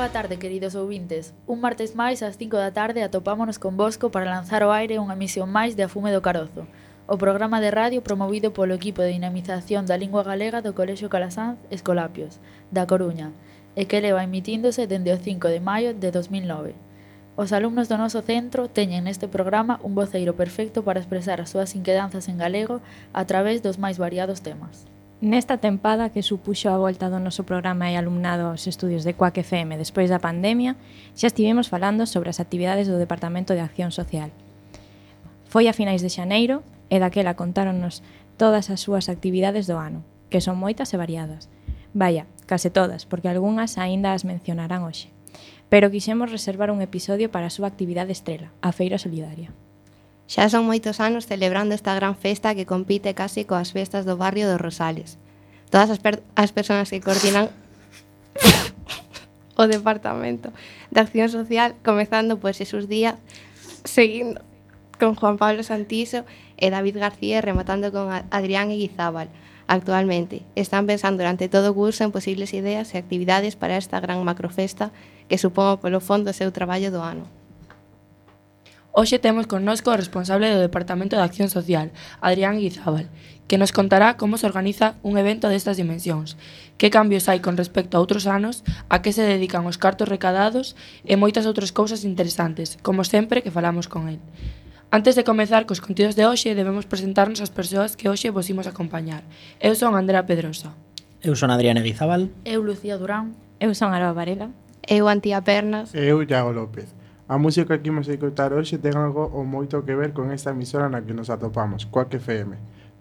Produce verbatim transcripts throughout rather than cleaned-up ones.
Boa tarde, queridos ouvintes. Un martes máis ás cinco da tarde atopámonos con Bosco para lanzar ao aire unha emisión máis de A Fume do Carozo, o programa de radio promovido polo equipo de dinamización da lingua galega do Colexio Calasanz Escolapios, da Coruña, e que leva emitíndose dende o cinco de maio de dos mil nove. Os alumnos do noso centro teñen neste programa un voceiro perfecto para expresar as súas inquedanzas en galego a través dos máis variados temas. Nesta tempada que supuxo a volta do noso programa e alumnado aos estudios de Cuac F M despois da pandemia, xa estivemos falando sobre as actividades do Departamento de Acción Social. Foi a finais de xaneiro e daquela contáronnos todas as súas actividades do ano, que son moitas e variadas. Vaya, case todas, porque algunhas aínda as mencionarán hoxe. Pero quixemos reservar un episodio para a súa actividade estrela, a Feira Solidaria. Xa son moitos anos celebrando esta gran festa que compite casi coas festas do barrio dos Rosales. Todas as, per- as persoas que coordinan o Departamento de Acción Social, comezando por Xesús Díaz, seguindo con Juan Pablo Santiso e David García, rematando con Adrián Eguizábal. Actualmente, están pensando durante todo o curso en posibles ideas e actividades para esta gran macrofesta que supón polo fondo o seu traballo do ano. Hoxe temos connosco o responsable do Departamento de Acción Social, Adrián Eguizábal, que nos contará como se organiza un evento destas dimensións, que cambios hai con respecto a outros anos, a que se dedican os cartos recadados e moitas outras cousas interesantes, como sempre que falamos con el. Antes de comezar cos contidos de hoxe, debemos presentarnos as persoas que hoxe vos imos acompañar. Eu son Andrea Pedrosa. Eu son Adrián Eguizábal. Eu, Lucía Durán. Eu son Aroa Varela. Eu, Antía Pernas. Eu, Iago López. A música que imos escoitar hoxe ten algo ou moito que ver con esta emisora na que nos atopamos, Cuac F M.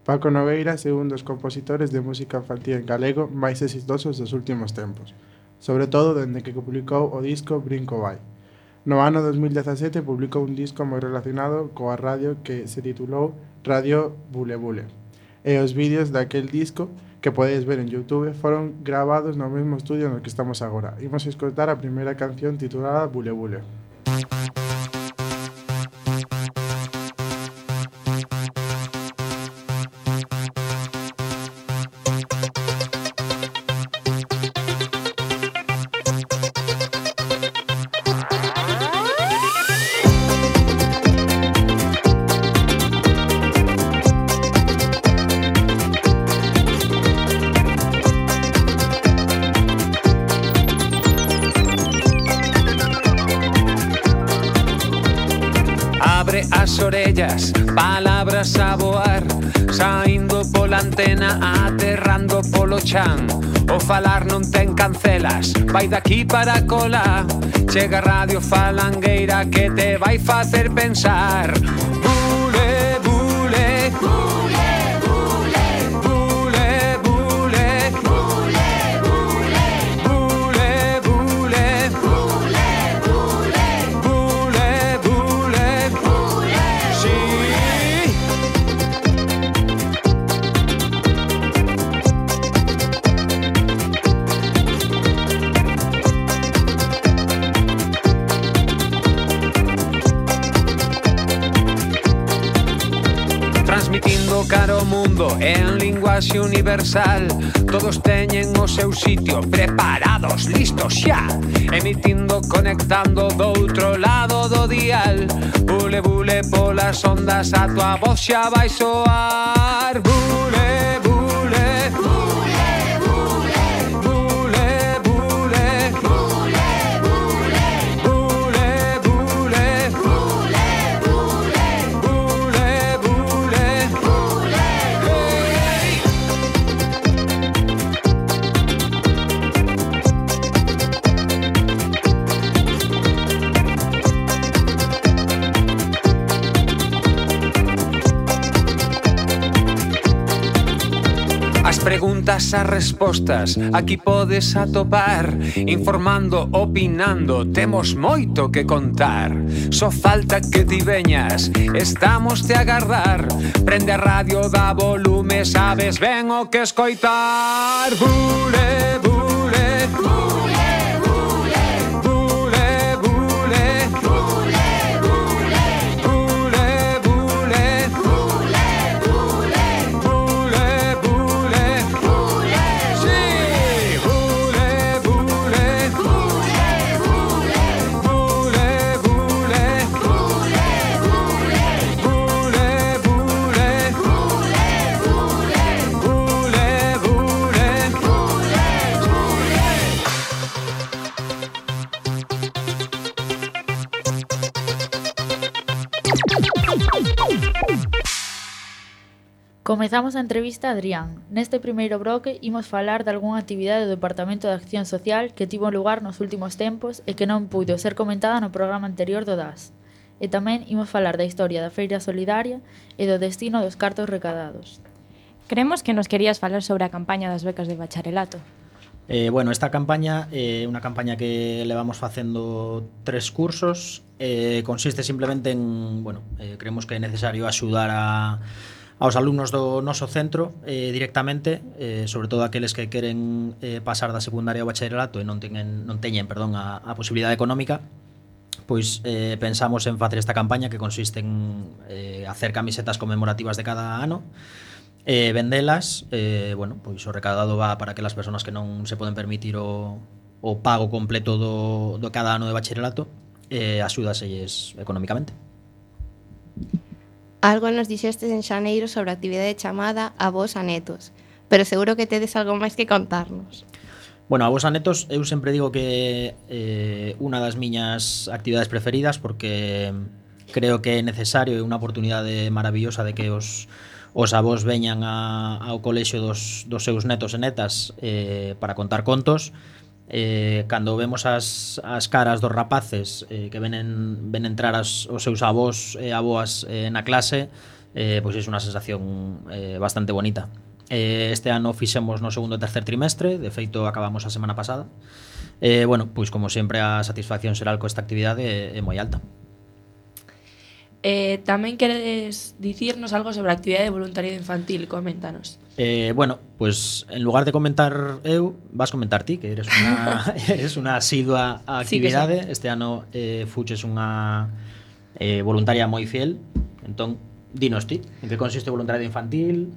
Paco Nogueira é un dos compositores de música infantil en galego máis exitosos dos últimos tempos, sobre todo dende que publicou o disco Brinco Vai. No ano dos mil dezasete publicou un disco moi relacionado coa radio que se titulou Radio Bule Bule. E os vídeos daquel disco que podedes ver en YouTube foron gravados no mesmo estudio no que estamos agora. Imos a escoitar a primeira canción titulada Bule Bule. As orellas, palabras a voar, saindo pola antena, aterrando polo chan. O falar non ten cancelas, vai daqui para cola. Chega Radio Falangueira que te vai facer pensar. Bule, bule, bule, bule, bule, bule, bule, bule, bule, bule, bule, bule, bule, bule, sí. Transmitindo caro mundo en linguaxe universal. Todos teñen o seu sitio, preparados, listos xa. Emitindo, conectando do outro lado do dial. Bule, bule, polas ondas, a tua voz xa vai soar. Bule, bule, bule, bule, bule, bule, bule, bule, bule, bule, bule, bule, bule, bule, hey. As preguntas, as respostas, aquí podes atopar. Informando, opinando, temos moito que contar. Só falta que ti veñas, estamos te agardar. Prende a radio, dá volume, sabes ben o que escoitar. Bule, bule, bule, bule, bule, bule, bule, bule, bule, bule, bule, bule, bule, bule, sí. Bule, bule, bule, bule, bule, bule, bule, bule, bule, bule, bule, Comezamos a entrevista a Adrián. Neste primeiro bloque imos falar de algunha actividade do Departamento de Acción Social que tivo lugar nos últimos tempos e que non puido ser comentada no programa anterior do D A S. E tamén imos falar da historia da Feira Solidaria e do destino dos cartos recadados. Creemos que nos querías falar sobre a campaña das becas de bacharelato. Eh, bueno, esta campaña é eh, unha campaña que levamos facendo tres cursos. Eh, consiste simplemente en, bueno, eh, creemos que é necesario axudar a aos alumnos do noso centro eh, directamente, eh, sobre todo aqueles que queren eh, pasar da secundaria ao bacharelato e non teñen, non teñen perdón, a, a posibilidade económica, pois eh, pensamos en facer esta campaña que consiste en eh, hacer camisetas conmemorativas de cada ano, eh, vendelas, eh, bueno, pois o recaudado va para aquelas persoas que non se poden permitir o, o pago completo do, do cada ano de bacharelato, eh, axúdaselles económicamente. Algo nos dixestes en xaneiro sobre a actividade chamada Avós a Netos, pero seguro que tedes algo máis que contarnos. Bueno, Avós a Netos, eu sempre digo que é eh, unha das miñas actividades preferidas porque creo que é necesario e unha oportunidade maravillosa de que os, os avós veñan a, ao colexio dos, dos seus netos e netas eh, para contar contos. Eh, cando vemos as, as caras dos rapaces eh, que ven, en, ven entrar as, os seus avós e avoas eh, na clase, eh, pois é unha sensación eh, bastante bonita. Eh, este ano fixemos no segundo e tercer trimestre, de feito acabamos a semana pasada. Eh, bueno, pois como sempre a satisfacción xeral con esta actividade é, é moi alta. Eh, tamén queredes dicirnos algo sobre a actividade de voluntariado infantil, coméntanos. Eh, bueno, pues en lugar de comentar eu, vas comentar ti, que eres unha eres unha asidua a actividade. Sí, sí. Este ano eh, fuches unha eh, voluntaria moi fiel. Entón, dinos ti, en que consiste o voluntariado infantil?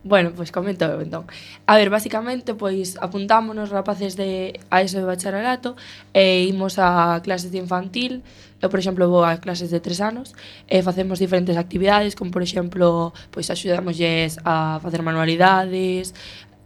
Bueno, pois pues comento eu, entón. A ver, basicamente, pois apuntámonos rapaces de a eso de bacharelato e imos a clases de infantil. Eu, por exemplo, vou a clases de tres anos e facemos diferentes actividades, como, por exemplo, pois axudámoslles a facer manualidades.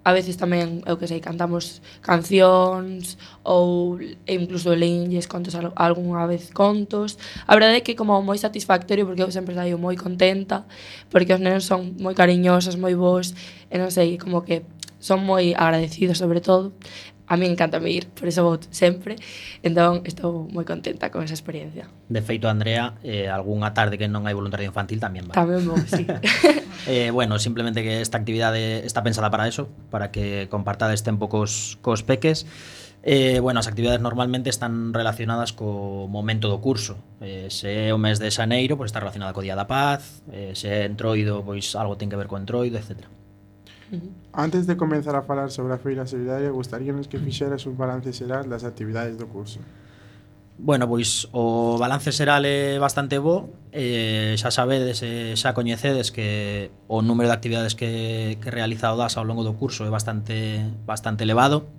A veces tamén, eu que sei, cantamos cancións ou incluso leínlles contos algunha vez contos. A verdade é que como moi satisfactorio porque eu sempre saio moi contenta porque os nenos son moi cariñosos, moi bons e non sei, como que son moi agradecidos sobre todo. A mí encanta me ir, por eso vou sempre. Entón, estou moi contenta con esa experiencia. De feito, Andrea, eh, algunha tarde que non hai voluntariado infantil tamén va. Tamén vou, sí. eh, bueno, simplemente que esta actividade está pensada para eso, para que compartades tempo cos, cos peques. Eh, bueno, as actividades normalmente están relacionadas co momento do curso. Eh, se é o mes de xaneiro, pois está relacionada co Día da Paz. Eh, se é entroido, pois algo ten que ver co entroido, etcétera. Antes de comenzar a falar sobre a Feira Solidaria, gustaríanos que fixeras un balance xeral das actividades do curso. Bueno, pois o balance xeral é bastante bo. Eh, xa sabedes, eh, xa coñecedes que o número de actividades que, que realiza o D A S ao longo do curso é bastante, bastante elevado.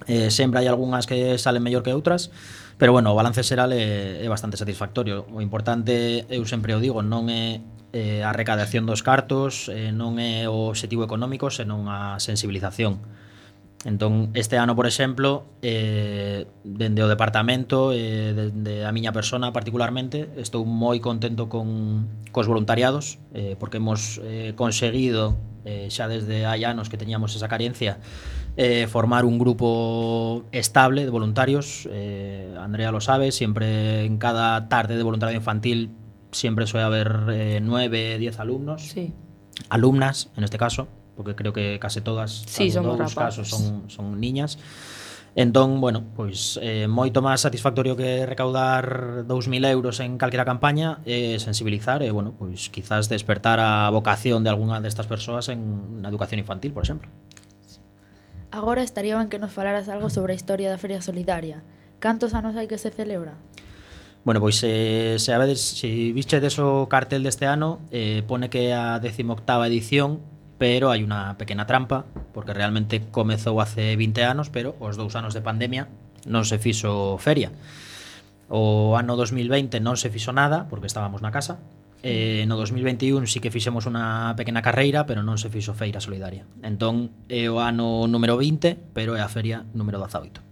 Eh, sempre hai algunhas que salen mellor que outras, pero bueno, o balance xeral é, é bastante satisfactorio. O importante, eu sempre o digo, non é eh, a recadación dos cartos, eh, non é o obxectivo económico, senón a sensibilización. Entón, este ano, por exemplo, eh, dende o departamento, eh, dende a miña persona particularmente, estou moi contento con cos voluntariados, eh, porque hemos eh, conseguido, eh, xa desde hai anos que teñamos esa carencia, eh, formar un grupo estable de voluntarios. eh, Andrea lo sabe, siempre en cada tarde de voluntariado infantil siempre suele haber eh, nueve, diez alumnos, sí. Alumnas en este caso, porque creo que case todas, sí, son dous casos son, son niñas. Entón, bueno, pois eh, moito máis satisfactorio que recaudar dous mil euros en calquera campaña é eh, sensibilizar e, bueno, pois quizás despertar a vocación de algunha destas persoas en na educación infantil, por exemplo. Agora estaría ben que nos falaras algo sobre a historia da Feria Solidaria. Cantos anos hai que se celebra? Bueno, pois eh, se a veces, se vistedes o cartel deste ano, eh, pone que é a decimoctava edición, pero hai unha pequena trampa, porque realmente comezou hace vinte anos, pero os dous anos de pandemia non se fixo feria. O ano dos mil veinte non se fixo nada, porque estábamos na casa. Eh, no dos mil vinte e un sí que fixemos unha pequena carreira, pero non se fixo Feira Solidaria. Entón é o ano número vinte, pero é a feria número dezaoito.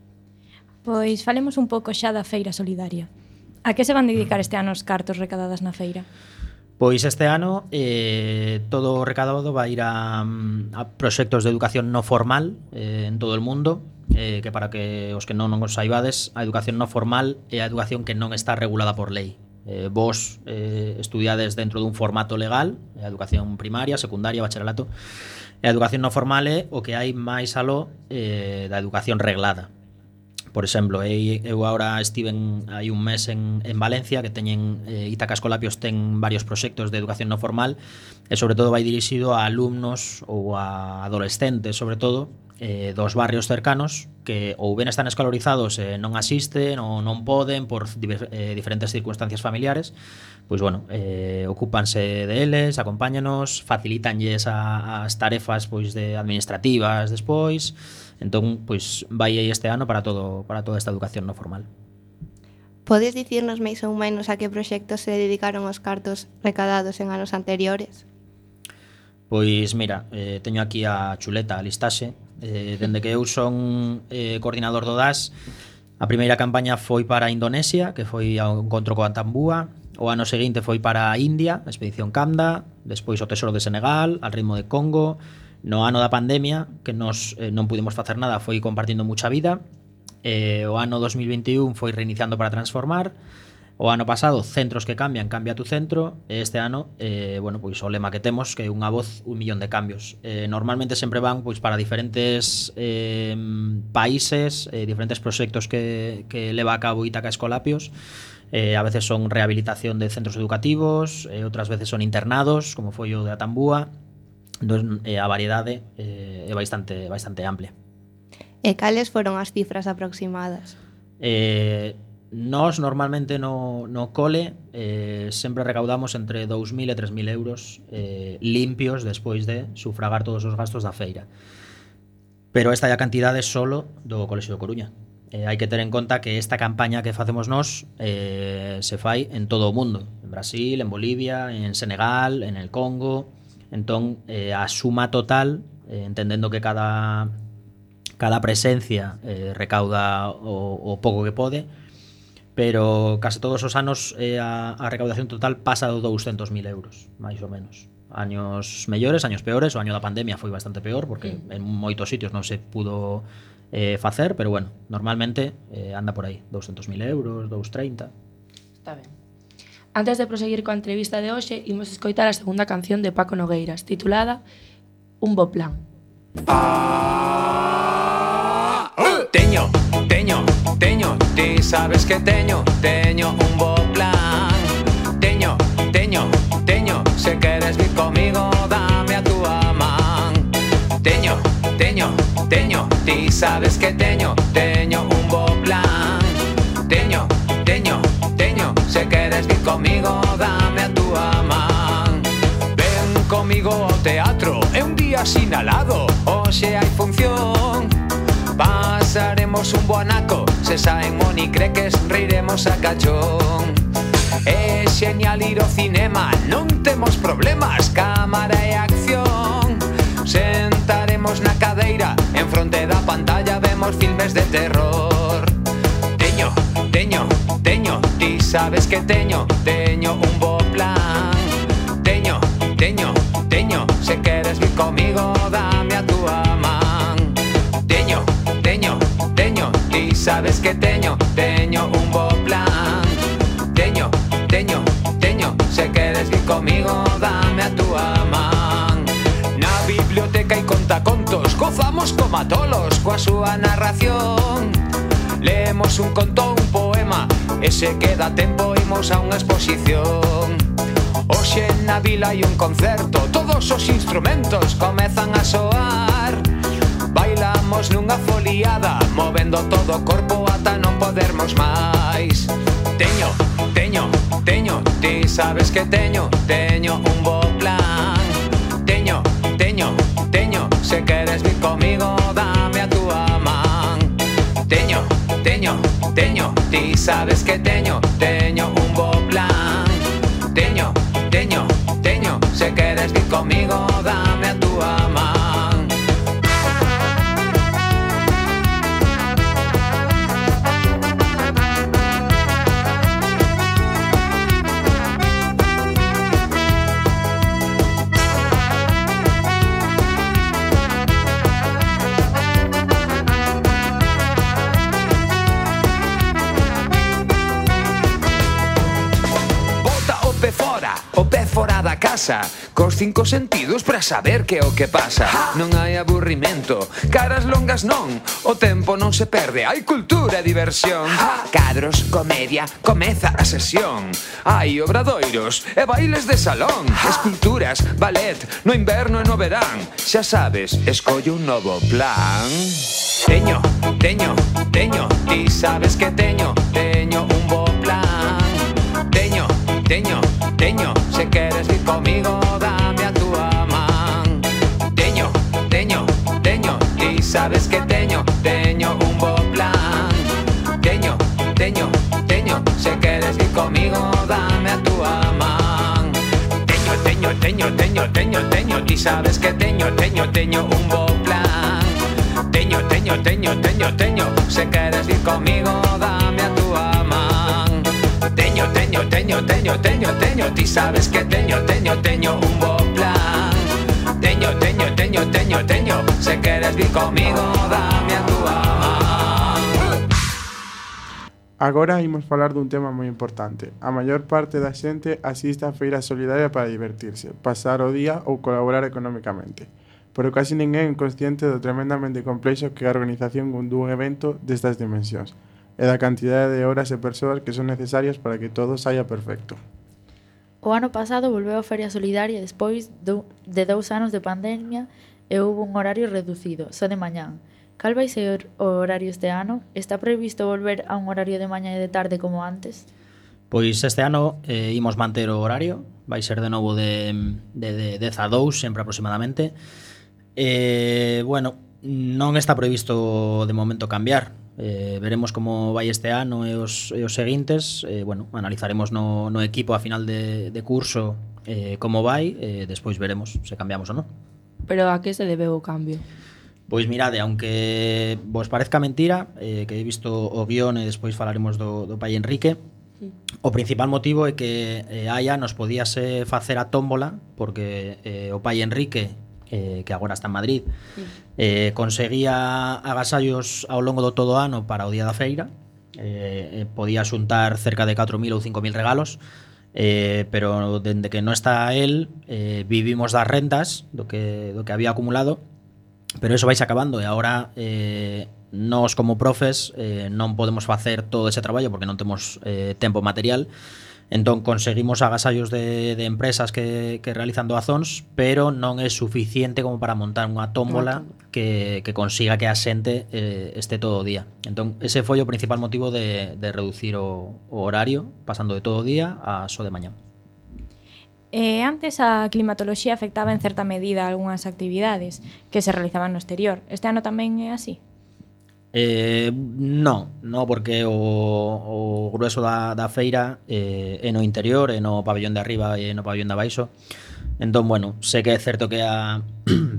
Pois falemos un pouco xa da Feira Solidaria. A que se van dedicar este ano os cartos recadadas na feira? Pois este ano eh, todo o recadado vai ir a, a proxectos de educación no formal eh, en todo o mundo, eh, que para que os que non os saibades, a educación no formal é a educación que non está regulada por lei. Eh, vos eh, estudiades dentro dun formato legal, a educación primaria, secundaria, bacharelato. A educación no formal é o que hai máis aló eh, da educación reglada. Por exemplo, eu agora estiven hai un mes en, en Valencia, que teñen eh, Ítaca Escolapios ten varios proxectos de educación no formal e sobre todo vai dirixido a alumnos ou a adolescentes, sobre todo, eh, dos barrios cercanos que ou ben están escolarizados e non asisten ou non poden por diver, eh, diferentes circunstancias familiares. Pois bueno, eh, ocúpanse deles, acompáñanos, facilitanlles a, as tarefas pois de administrativas despois. Entón, pois vai aí este ano para todo para toda esta educación no formal. Podes dicirnos máis ou menos a que proxectos se dedicaron os cartos recadados en anos anteriores? Pois mira, eh, teño aquí a chuleta, a listaxe. Eh, dende que eu son eh, coordinador do D A S, a primeira campaña foi para Indonesia, que foi ao encontro co Antambúa. O ano seguinte foi para a India, a expedición Kamda. Despois o Tesoro de Senegal, al ritmo de Congo. No ano da pandemia, que nos eh, non pudimos facer nada, foi compartindo mucha vida. Eh, o ano dos mil vinte e un foi reiniciando para transformar. O ano pasado, centros que cambian, cambia tu centro. E este ano, eh, bueno, pois o lema que temos, que é unha voz, un millón de cambios. Eh, normalmente sempre van pois para diferentes eh, países, eh, diferentes proxectos que, que leva a cabo Ítaca Escolapios. Eh, a veces son rehabilitación de centros educativos, eh, outras veces son internados, como foi o de Atambúa. Entón, eh, a variedade eh, é bastante, bastante amplia. E cales foron as cifras aproximadas? Eh... Nós normalmente no, no cole eh, sempre recaudamos entre dous mil e tres mil euros eh, limpios despois de sufragar todos os gastos da feira. Pero esta é a cantidade solo do Colexio de Coruña. Eh, hai que ter en conta que esta campaña que facemos nós eh, se fai en todo o mundo. En Brasil, en Bolivia, en Senegal, en el Congo. Entón, eh, a suma total, eh, entendendo que cada, cada presencia eh, recauda o, o pouco que pode, pero case todos os anos eh, a, a recaudación total pasa de douscentos mil euros, máis ou menos. Años mellores, años peores, o año da pandemia foi bastante peor, porque en moitos sitios non se pudo eh, facer, pero bueno, normalmente eh, anda por aí, douscentos mil euros, doscientos treinta. Está ben. Antes de proseguir coa entrevista de hoxe, imos escoitar a segunda canción de Paco Nogueiras, titulada Un bo plan. Ah, uh, teño, teño, teño, ti sabes que teño, teño un bo plan. Teño, teño, teño, se queres vir comigo, dame a túa man. Teño, teño, teño, ti sabes que teño, teño un bo plan. Teño, teño, teño, se queres vir comigo, dame a túa man. Ven comigo ao teatro, é un día sinalado, hoxe hai función. Pasaremos un bo anaco, se saen monicreques, riremos a cachón. É xenial ir ao cinema, non temos problemas, cámara e acción. Sentaremos na cadeira, en fronte da pantalla vemos filmes de terror. Teño, teño, teño, ti sabes que teño, teño un bo plan. Teño, teño, teño, se queres vir comigo, dame a túa man. Teño, teño, teño, ti sabes que teño, teño un bo plan. Teño, teño, teño, se queres vir comigo, dame a túa man. Na biblioteca hai contacontos, gozamos como tolos coa súa narración. Lemos un conto, un poema, e se queda tempo imos a unha exposición. Hoxe na vila hai un concerto, todos os instrumentos comezan a soar. Bailamos nunha foliada, movendo todo o corpo ata non podermos máis. Teño, teño, teño, ti sabes que teño, teño un bo plan. Teño, teño, teño, se queres vir comigo, dame a túa man. Teño, teño, teño, ti sabes que teño, teño un bo plan. Teño, teño, teño, se queres vir comigo, dame a túa man. Fora da casa, cos cinco sentidos para saber que o que pasa. Non hai aburrimento, caras longas non, o tempo non se perde, hai cultura e diversión. Cadros, comedia, comeza a sesión. Hai obradoiros e bailes de salón, esculturas, ballet, no inverno e no verán. Xa sabes, escolle un novo plan. Teño, teño, teño, ti sabes que teño, teño un bo plan. Teño, teño, teño, se queres vir comigo, dame a túa man. Teño, teño, teño, ti sabes que teño, teño un bo plan. Teño, teño, teño, se queres vir comigo, dame a túa man. Teño, teño, teño, teño, teño, teño, ti sabes que teño, teño, teño un bo plan. Teño, teño, teño, teño, teño, se queres vir comigo, dame a túa man. Teño, teño, teño, teño, teño, teño, ti sabes que teño, teño, teño un bo plan. Teño, teño, teño, teño, teño, se queres vir comigo, dame a túa man. Agora imos falar dun tema moi importante. A maior parte da xente asiste á feira solidaria para divertirse, pasar o día ou colaborar económicamente. Pero casi ninguén é consciente do tremendamente complexo que é a organización dun evento destas dimensións e da cantidade de horas e persoas que son necesarias para que todo saia perfecto. O ano pasado volveu a Feria Solidaria despois do, de dous anos de pandemia e houve un horario reducido, só de mañán. Cal vai ser o horario este ano? Está previsto volver a un horario de mañá e de tarde como antes? Pois este ano eh, imos manter o horario, vai ser de novo de, de, de dez a dous, sempre aproximadamente. Eh, bueno, non está previsto de momento cambiar. Eh, veremos como vai este ano e os, e os seguintes. Eh, bueno, analizaremos no, no equipo a final de, de curso eh, como vai, e eh, despois veremos se cambiamos ou non. Pero a que se debeu o cambio? Pois mirade, aunque vos parezca mentira, eh, que he visto o guión e despois falaremos do, do pai Enrique, o principal motivo é que eh, hai anos podíase facer a tómbola, porque eh, o pai Enrique, eh, que agora está en Madrid, eh, conseguía agasallos ao longo do todo o ano para o día da feira, eh, podía xuntar cerca de catro mil ou cinco mil regalos, eh, pero dende que non está él, eh, vivimos das rentas do que, do que había acumulado. Pero eso vais acabando e agora eh, nós como profes eh, non podemos facer todo ese traballo porque non temos eh, tempo material. Entón conseguimos agasallos de, de empresas que, que realizan doazóns, pero non é suficiente como para montar unha tómbola que, que consiga que a xente eh, este todo o día. Entón ese foi o principal motivo de, de reducir o, o horario, pasando de todo o día a só de mañá. Eh, antes a climatoloxía afectaba en certa medida algunhas actividades que se realizaban no exterior. Este ano tamén é así? Eh, non, non porque o, o grueso da, da feira eh, é no interior, é no pabellón de arriba e no pabellón de abaixo. Entón, bueno, sé que é certo que a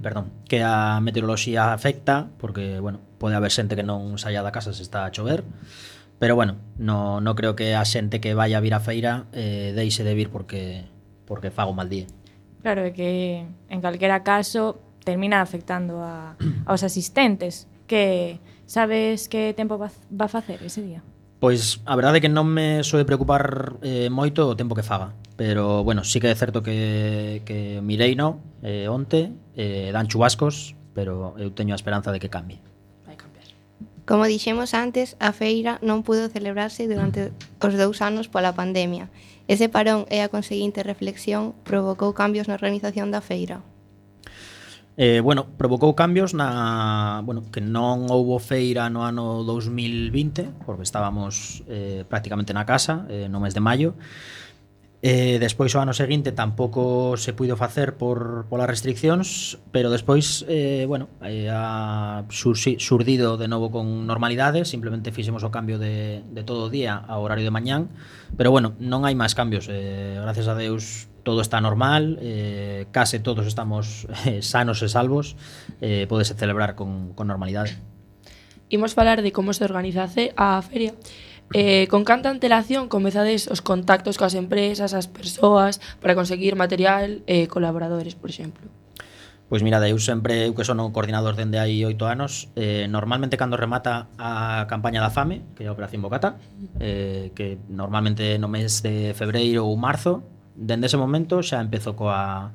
perdón, que a meteoroloxía afecta, porque, bueno, pode haber xente que non saia da casa se está a chover, pero, bueno, non no creo que a xente que vai a vir á feira eh, deixe de vir porque porque fago mal día. Claro, é que en calquera caso termina afectando a, aos asistentes. Que sabes que tempo va, va a facer ese día? Pois a verdade é que non me soe preocupar eh, moito o tempo que faga, pero bueno, sí que é certo que, que mirei no eh, onte, eh, dan chubascos, pero eu teño a esperanza de que cambie. Vai cambiar. Como dixemos antes, a feira non pudo celebrarse durante os dous anos pola pandemia. Ese parón e a conseguinte reflexión provocou cambios na organización da feira. Eh, bueno, provocou cambios na, bueno, que non houbo feira no ano dous mil vinte, porque estábamos eh, prácticamente na casa eh, no mes de maio. Eh, despois o ano seguinte tampouco se puido facer por polas restriccións, pero despois eh, bueno, eh, ha sursi, surdido de novo con normalidade, simplemente fixemos o cambio de, de todo o día ao horario de mañán, pero bueno, non hai máis cambios, eh, gracias a Deus todo está normal, eh, case todos estamos eh, sanos e salvos, eh, podese celebrar con, con normalidade. Imos falar de como se organizase a feria. Eh, con canta antelación comezades os contactos coas empresas, as persoas, para conseguir material e eh, colaboradores, por exemplo? Pois mira, eu sempre, eu que son o coordinador dende hai oito anos, eh, normalmente cando remata a campaña da fame, que é a Operación Bocata, eh, que normalmente no mes de febreiro ou marzo, dende ese momento xa empezo coa,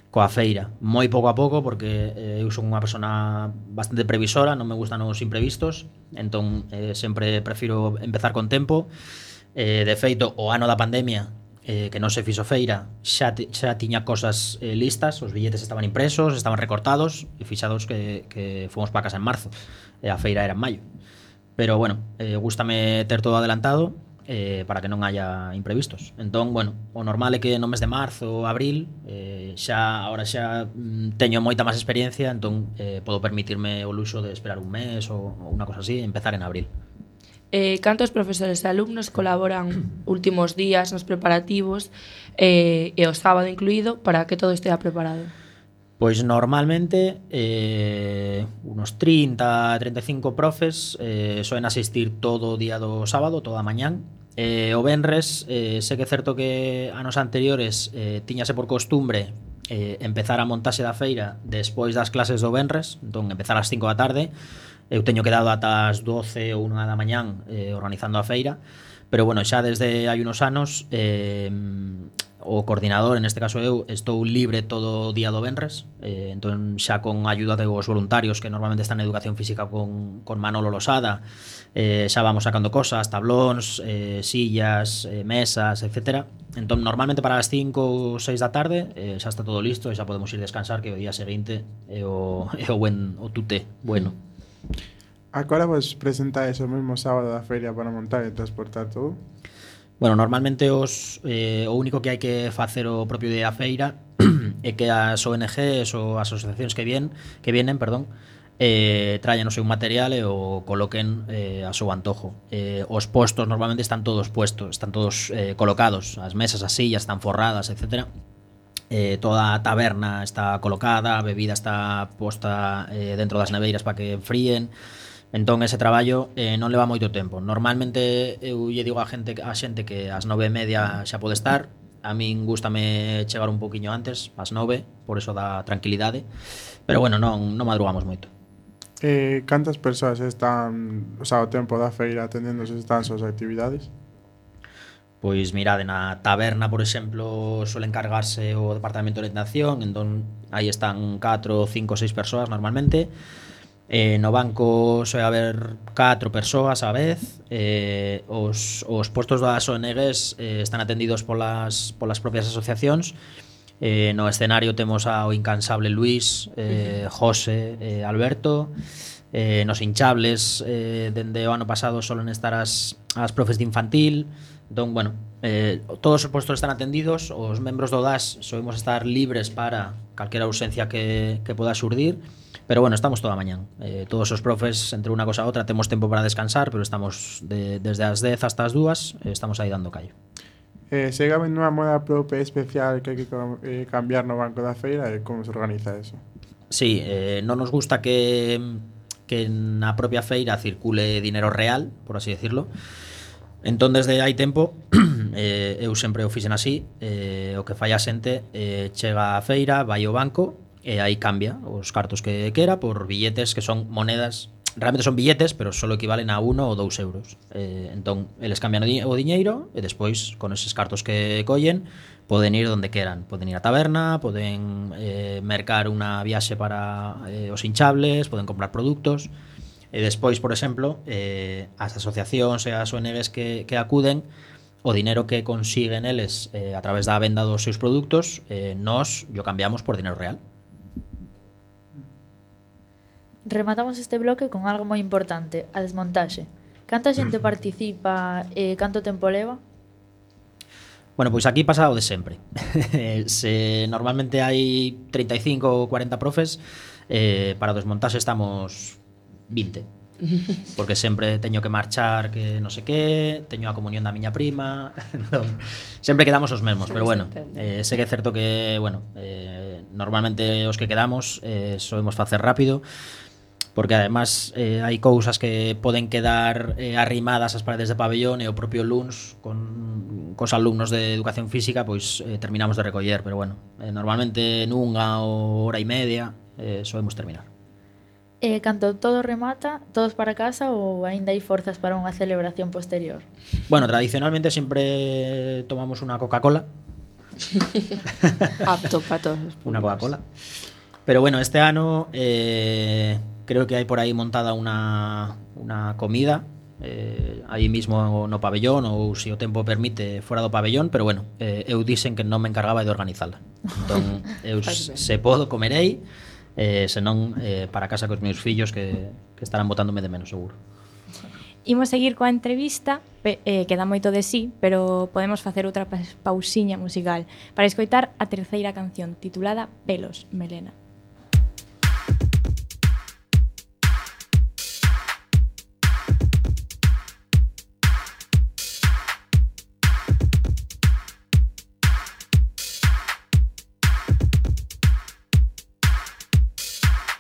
coa feira, moi pouco a pouco, porque eh, eu son unha persona bastante previsora, non me gustan os imprevistos, entón eh, sempre prefiro empezar con tempo. Eh, de feito, o ano da pandemia, eh, que non se fixo feira, xa, xa tiña cosas eh, listas, os billetes estaban impresos, estaban recortados e fixados que, que fomos para casa en marzo e a feira era en maio. Pero bueno, eh, gústame ter todo adelantado eh, para que non haya imprevistos. Entón, bueno, o normal é que no mes de marzo ou abril eh, xa, ahora xa mm, teño moita máis experiencia, entón eh, podo permitirme o luxo de esperar un mes ou, ou unha cosa así e empezar en abril. Eh, cantos profesores e alumnos colaboran últimos días nos preparativos eh, e o sábado incluído para que todo estea preparado? Pois normalmente eh, unos trinta a treinta e cinco profes eh, soen asistir todo o día do sábado, toda a mañán. Eh, o venres, eh, sei que é certo que anos anteriores eh, tiñase por costumbre eh, empezar a montaxe da feira despois das clases do venres, entón empezar ás cinco da tarde. Eu teño quedado ata as doce ou unha da mañán eh, organizando a feira, pero bueno, xa desde hai unos anos eh, o coordinador, en este caso eu, estou libre todo o día do venres, eh, entón xa con a ayuda dos voluntarios que normalmente están en educación física con, con Manolo Losada, eh, xa vamos sacando cosas, tablóns, eh, sillas, eh, mesas, etcétera. Entón normalmente para as cinco ou seis da tarde eh, xa está todo listo e xa podemos ir descansar, que o día seguinte é o, é o, buen, o tuté bueno. Agora vos presentades o mesmo sábado da feria para montar e transportar todo? Bueno, normalmente os, eh, o único que hai que facer o propio día da feira é que as O N Gs ou as asociacións que vienen, que vienen, perdón, eh, traen o seu material e o coloquen eh, a seu antojo. Eh, os postos normalmente están todos puestos, están todos eh, colocados, as mesas, as sillas están forradas, etcétera. Eh, toda a taberna está colocada, a bebida está posta eh, dentro das neveiras para que enfríen. Entón ese traballo eh, non leva moito tempo. Normalmente eu lle digo a gente a xente que ás nove e media xa pode estar. A min gústame chegar un poquinho antes, ás nove, por eso dá tranquilidade. Pero bueno, non, non madrugamos moito. Eh, cantas persoas están, o sea, o tempo da feira atendendo se están as actividades? Pois mirade, na taberna, por exemplo, suele encargarse o departamento de orientación, entón aí están catro, cinco, seis persoas normalmente. Eh, no banco suele haber catro persoas á vez. eh, os, os postos das O N Gs eh, están atendidos polas, polas propias asociacións. Eh, no escenario temos ao incansable Luis, eh, José, eh, Alberto. Eh, nos hinchables, eh, dende o ano pasado solen estar as, as profes de infantil. Entón, bueno, eh, todos os postos están atendidos. Os membros do D A S solemos estar libres para calquera ausencia que, que poda xurdir. Pero bueno, estamos toda a mañán. Eh, todos os profes, entre unha cosa a outra, temos tempo para descansar, pero estamos de, desde as dez hasta as dúas, eh, estamos aí dando callo. Eh, segue habendo unha moda propia especial que hai que eh, cambiar no banco da feira e como se organiza eso? Sí, eh, non nos gusta que, que na propia feira circule dinero real, por así decirlo. Entón, desde hai tempo, eh, eu sempre o fixen así, eh, o que fai a xente eh, chega á feira, vai ao banco, e aí cambia os cartos que quera por billetes que son monedas, realmente son billetes, pero só equivalen a uno ou dous euros. Eh, entón, eles cambian o, di o diñeiro e despois, con eses cartos que collen, poden ir onde queran. Poden ir á taberna, poden eh, mercar unha viaxe para eh, os hinchables, poden comprar produtos. E despois, por exemplo, eh, as asociacións e as O N Gs que, que acuden, o dinero que consiguen eles eh, a través da venda dos seus produtos, eh, nós yo cambiamos por dinero real. Rematamos este bloque con algo moi importante, a desmontaxe. Canta xente participa e canto tempo leva? Bueno, pois aquí pasa o de sempre. Se normalmente hai treinta e cinco ou cuarenta profes, eh, para o desmontaxe estamos vinte. Porque sempre teño que marchar, que non sei que, teño a comunión da miña prima, entón, sempre quedamos os mesmos, pero bueno, eh, sei que é certo que, bueno, eh, normalmente os que quedamos eh, solemos facer rápido, porque además eh, hai cousas que poden quedar eh, arrimadas ás paredes de pabellón e o propio luns con cos alumnos de educación física pois eh, terminamos de recoller, pero bueno, eh, normalmente nunha ou hora e media eh, solemos terminar. E canto todo remata, todos para casa ou aínda hai forzas para unha celebración posterior? Bueno, tradicionalmente sempre tomamos unha Coca-Cola. Apto para todos. Unha Coca-Cola. Pero bueno, este ano eh, creo que hai por aí montada unha, unha comida eh, aí mismo no pabellón, ou se o tempo permite fora do pabellón, pero bueno, eh, eu dixen que non me encargaba de organizala. Entón, eu se podo comerei, eh, senón eh, para casa cos meus fillos que, que estarán botándome de menos seguro. Imos seguir coa entrevista, pe, eh, queda moito de sí, pero podemos facer outra pausiña musical para escoitar a terceira canción titulada Pelos, Melena.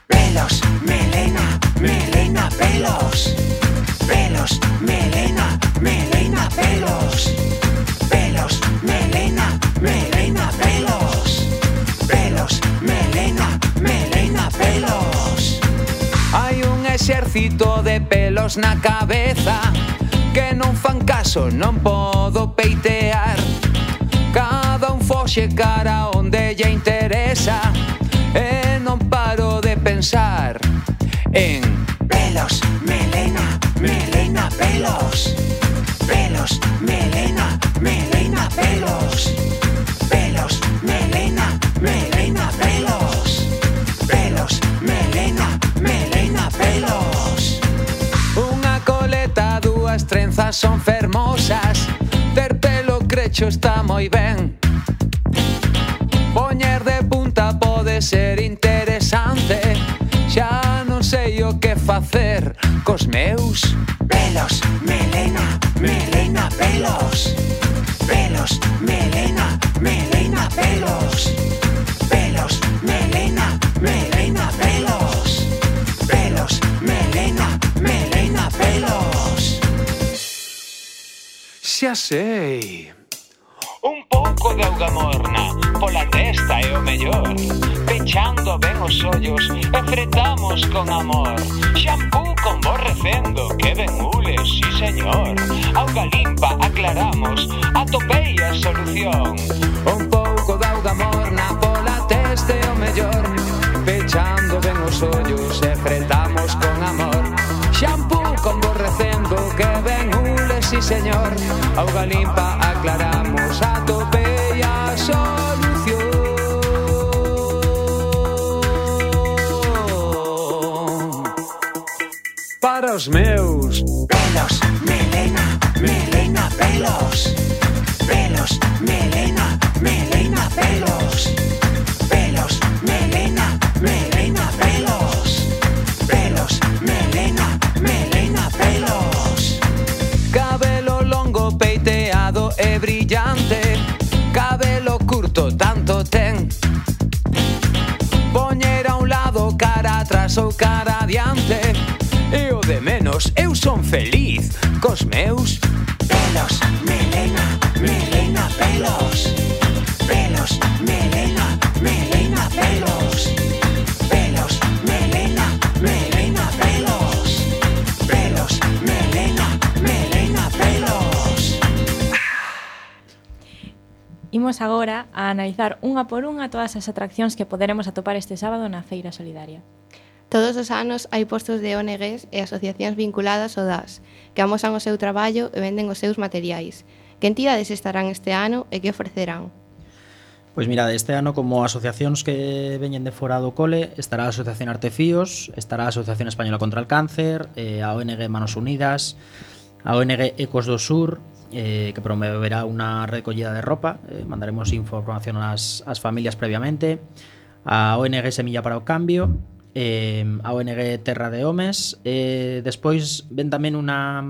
Pelos, melena, melena, pelos. Pelos, melena, melena, pelos. Pelos, melena, melena, pelos. Pelos. melena, pelos. Hai un exército de pelos na cabeza que non fan caso, non podo peitear. Cada un foxe cara onde lle interesa e non paro de pensar en pelos, melena, melena, pelos. Pelos, melena, melena, pelos. Pelos, melena, melena, pelos. Pelos, melena, melena, pelos. unha coleta, dúas trenzas son fermosas. Ter pelo crecho está moi ben. Poñer de punta pode ser interesante. Xa non sei o que facer cos meus pelos, melena, melena, pelos. Pelos, melena, melena, pelos. Pelos, melena, melena, pelos. Pelos, melena, melena, pelos. Xa sei. Un pouco de auga morna pola testa é o mellor. Pechando ben os ollos e fretamos con amor. Xampú con borrecendo, que ben hules, sí señor. Auga limpa aclaramos, atopei a solución. Un pouco de auga morna pola testa é o mellor. Pechando ben os ollos e fretamos con amor. Xampú con borrecendo, que ben hules, sí señor. Auga limpa aclaramos, atopei a solución. Para os meus pelos, melena, melena, pelos. Pelos, melena, melena, pelos. Pelos, melena, melena, pelos. Pelos, melena, melena, pelos. Cabelo longo, peiteado e brillante. Cabelo curto, tanto ten. Poñer a un lado, cara atrás ou cara adiante. E o de menos, eu son feliz cos meus pelos, melena, melena, pelos. Pelos, melena, melena, pelos. Pelos, melena, melena, pelos. Pelos, melena, melena, pelos. Imos agora a analizar unha por unha todas as atraccións que poderemos atopar este sábado na Feira Solidaria. Todos os anos hai postos de O N Gs e asociacións vinculadas ao D A S que amosan o seu traballo e venden os seus materiais. Que entidades estarán este ano e que ofrecerán? Pois mira, este ano como asociacións que veñen de fora do cole estará a Asociación Artefíos, estará a Asociación Española contra el Cáncer, eh, a O N G Manos Unidas, a O N G Ecos do Sur, eh, que promoverá unha recollida de ropa, eh, mandaremos información ás, ás familias previamente, a O N G Semilla para o Cambio, eh, a O N G Terra de Homes, eh, despois ven tamén unha,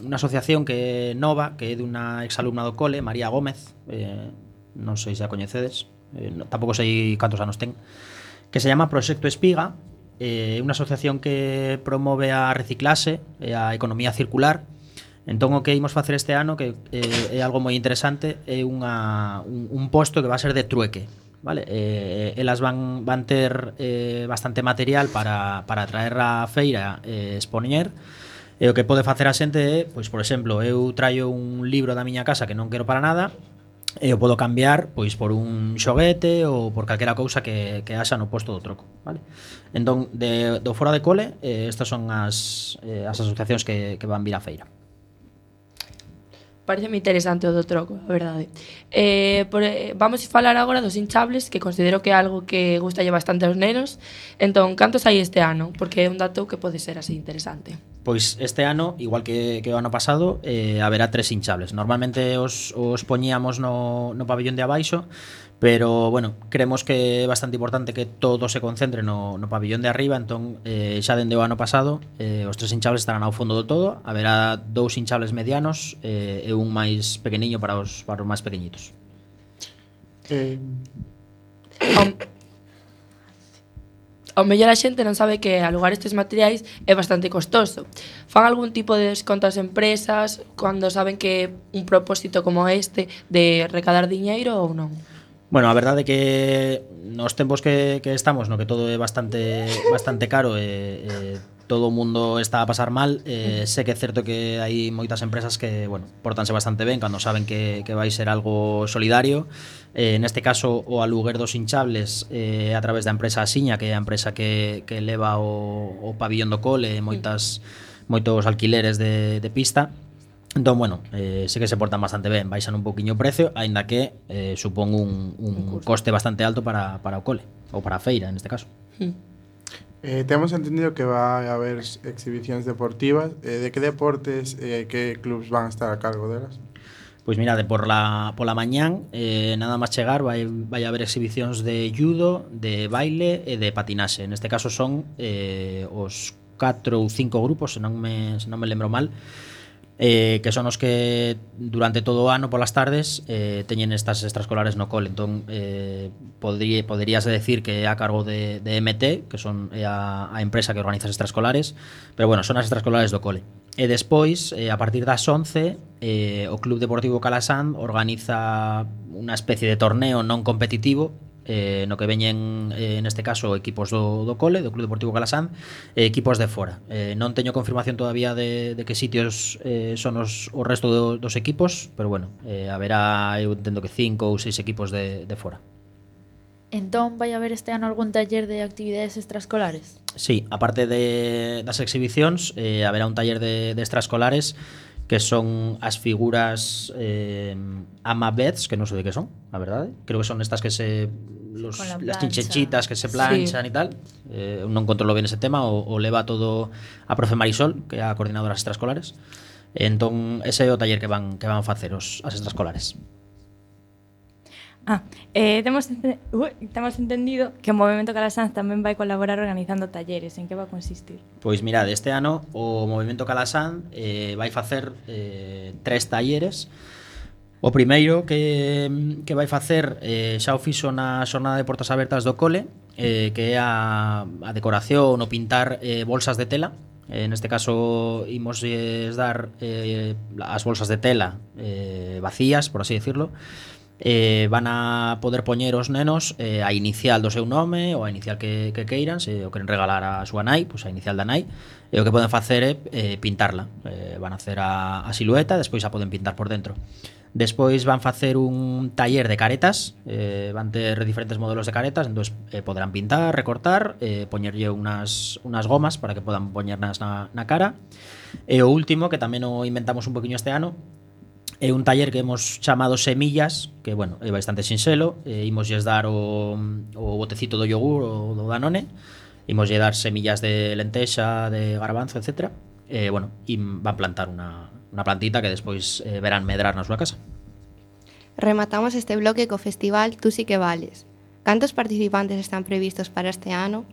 unha asociación que é nova, que é dunha exalumna do cole, María Gómez, eh, non sei se a coñecedes, eh, no, tampouco sei cantos anos ten, que se llama Proxecto Espiga, eh, unha asociación que promove a reciclase e a economía circular. Entón o que imos facer este ano, que eh, é algo moi interesante, é unha, un, un posto que va a ser de trueque, vale? Eh, elas van, van ter eh, bastante material para, para traer a feira e eh, expoñer. E o que pode facer a xente é, pois, por exemplo, eu traio un libro da miña casa que non quero para nada e o podo cambiar pois por un xoguete ou por calquera cousa que, que haxa no posto do troco, vale? Entón, de, do fora de cole, eh, estas son as, eh, as asociacións que, que van vir á feira. Pareceme interesante o do troco, a verdade. Eh, por, eh, vamos a falar agora dos hinchables, que considero que é algo que gustalle bastante aos nenos. Entón, cantos hai este ano? Porque é un dato que pode ser así interesante. Pois este ano, igual que, que o ano pasado, eh, haberá tres hinchables. Normalmente os, os poñíamos no, no pabellón de abaixo, pero, bueno, creemos que é bastante importante que todo se concentre no, no pabellón de arriba. Entón, eh, xa dende o ano pasado, eh, os tres hinchables estarán ao fondo do todo. Haberá dous hinchables medianos eh, e un máis pequeniño para os, para os máis pequeñitos. Eh, Ao, ao mellor a xente non sabe que alugar estes materiais é bastante costoso. Fan algún tipo de desconto ás empresas cando saben que un propósito como este de recadar diñeiro ou non? Bueno, a verdade é que nos tempos que, que estamos, no que todo é bastante bastante caro e eh, todo o mundo está a pasar mal, eh, sé que é certo que hai moitas empresas que, bueno, portanse bastante ben cando saben que, que vai ser algo solidario. Eh, neste caso, o aluguer dos hinchables eh, a través da empresa Asiña, que é a empresa que, que leva o, o pabillón do cole e moitas, moitos alquileres de, de pista. Entón, bueno, eh, sé que se portan bastante ben, baixan un poquinho o precio, aínda que eh, supón un, un coste bastante alto para, para o cole, ou para a feira, neste caso. Mm. Eh, temos entendido que vai haber exhibicións deportivas. Eh, de que deportes e eh, que clubs van a estar a cargo delas? Pois mirade, por la, pola mañán, eh, nada máis chegar, vai, vai haber exhibicións de judo, de baile e de patinaxe. Neste caso son eh, os catro ou cinco grupos, se non me, se non me lembro mal, eh, que son os que durante todo o ano polas tardes eh, teñen estas extraescolares no cole. Entón, eh, podría, poderíase decir que é a cargo de, de M T, que son é a, a empresa que organiza as extraescolares, pero bueno, son as extraescolares do cole. E despois, eh, a partir das once, eh, o Club Deportivo Calasán organiza unha especie de torneo non competitivo, eh, no que veñen, eh, neste caso, equipos do, do cole, do Club Deportivo Calasán, e equipos de fora. Eh, non teño confirmación todavía de, de que sitios eh, son os, o resto do, dos equipos, pero bueno, eh, haberá, eu entendo que cinco ou seis equipos de, de fora. Entón, vai haber este ano algún taller de actividades extraescolares? Sí, aparte de, das exhibicións, eh, haberá un taller de, de extraescolares que son as figuras eh, amabeds, que non sei de que son, a verdade. Creo que son estas que se... Los, la las plancha. chinchechitas que se planchan sí. E tal. Eh, non controlo ben ese tema, o, o leva todo a profe Marisol, que é a coordinadora das extraescolares. Entón, ese é o taller que van, que van facer os, as extraescolares. Ah, eh, temos, ente uh, temos entendido que o Movemento Calasán tamén vai colaborar organizando talleres. En que vai consistir? Pois mirade, este ano o Movemento Calasán eh, vai facer eh, tres talleres. O primeiro que, que vai facer eh, xa o fixo na xornada de portas abertas do cole, eh, que é a, a decoración, o pintar eh, bolsas de tela. Eh, neste caso imos dar eh, as bolsas de tela eh, vacías, por así decirlo. Eh, van a poder poñer os nenos eh, a inicial do seu nome ou a inicial que, que queiran, se o queren regalar a súa nai, pois a inicial da nai, e o que poden facer é eh, pintarla. Eh, van a hacer a, a silueta, despois a poden pintar por dentro. Despois van facer un taller de caretas, eh, van ter diferentes modelos de caretas, entón eh, poderán pintar, recortar, eh, poñerlle unas, unas gomas para que podan poñernas na, na cara. E o último, que tamén o inventamos un poquinho este ano, é un taller que hemos chamado Semillas, que, bueno, é bastante sinxelo. Eh, imosles dar o, o botecito do yogur ou do Danone, imoslle dar semillas de lentexa, de garbanzo, etcétera. E, bueno, e van plantar unha, unha plantita que despois eh, verán medrar na súa casa. Rematamos este bloque co festival Tú sí que vales. Cantos participantes están previstos para este ano?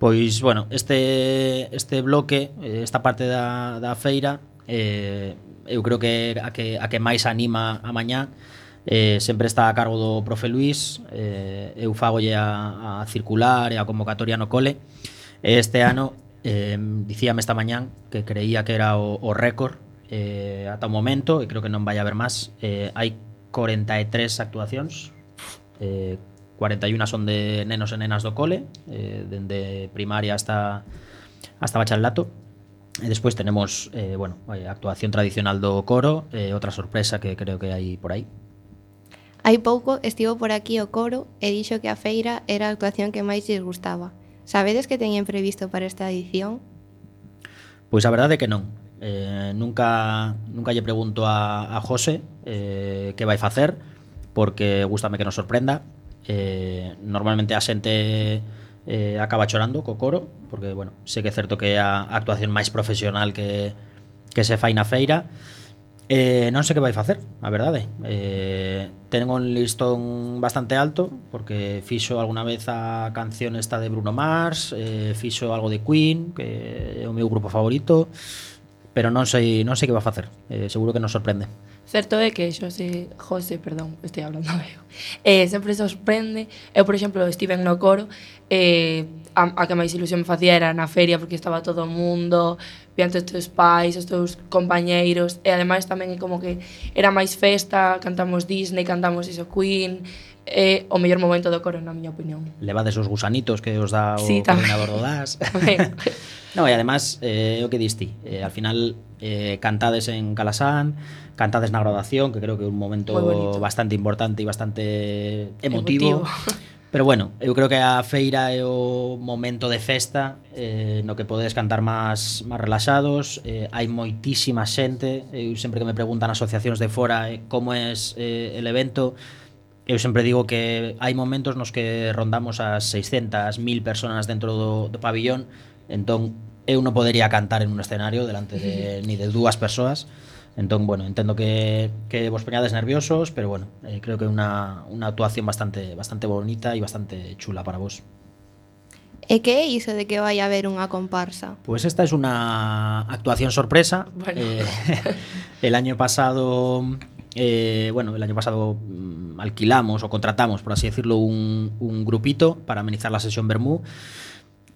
Pois, bueno, este, este bloque, esta parte da, da feira, eh, eu creo que a que, a que máis anima a mañá eh, sempre está a cargo do profe Luís. eh, eu fagolle a, a circular e a convocatoria no cole. Este ano eh, dicíame esta mañán que creía que era o, o récord eh, ata o momento, e creo que non vai haber máis. eh, hai corenta e tres actuacións, eh, cuarenta e una son de nenos e nenas do cole, eh, dende primaria hasta, hasta bachillerato. E despois tenemos eh, bueno, a actuación tradicional do coro, e eh, outra sorpresa que creo que hai por aí. Hai pouco estivo por aquí o coro e dixo que a feira era a actuación que máis lles gustaba. Sabedes que teñen previsto para esta edición? Pois a verdade é que non. Eh, nunca, nunca lle pregunto a, a José eh, que vai facer, porque gústame que nos sorprenda. Eh, normalmente a xente eh, acaba chorando co coro, porque, bueno, sei que é certo que é a actuación máis profesional que, que se fai na feira. Eh, non sei que vai facer, a verdade. Eh, ten un listón bastante alto, porque fixo alguna vez a canción esta de Bruno Mars, eh, fixo algo de Queen, que é o meu grupo favorito, pero non sei, non sei que vai facer. Eh, seguro que nos sorprende. Certo é que Xosé, José, perdón, estoy hablando eu, eh, sempre sorprende. Eu, por exemplo, estive no coro, eh, a, a que máis ilusión me facía era na feria, porque estaba todo o mundo, vían todos os teus pais, os teus compañeiros, e ademais tamén é como que era máis festa, cantamos Disney, cantamos iso Queen, é o mellor momento do coro, na miña opinión. Levades os gusanitos que os dá o sí, coordinador do D A S. No, e además, eh, o que diste, eh, al final eh, cantades en Calasán, cantades na graduación, que creo que é un momento bastante importante e bastante emotivo. emotivo. Pero bueno, eu creo que a feira é o momento de festa eh, no que podes cantar máis máis relaxados, eh, hai moitísima xente, eu sempre que me preguntan asociacións de fora eh, como é eh, el evento, eu sempre digo que hai momentos nos que rondamos as seiscentas mil personas dentro do, do pabillón, entón eu non podería cantar en un escenario delante de ni de dúas persoas. Entón, bueno, entendo que, que vos poñades nerviosos, pero bueno, eh, creo que é unha, unha actuación bastante bastante bonita e bastante chula para vos. E que é iso de que vai haber unha comparsa? Pues esta es una actuación sorpresa. Bueno. Eh, el año pasado, eh, bueno, el año pasado mm, alquilamos o contratamos, por así decirlo, un, un grupito para amenizar la sesión Bermú.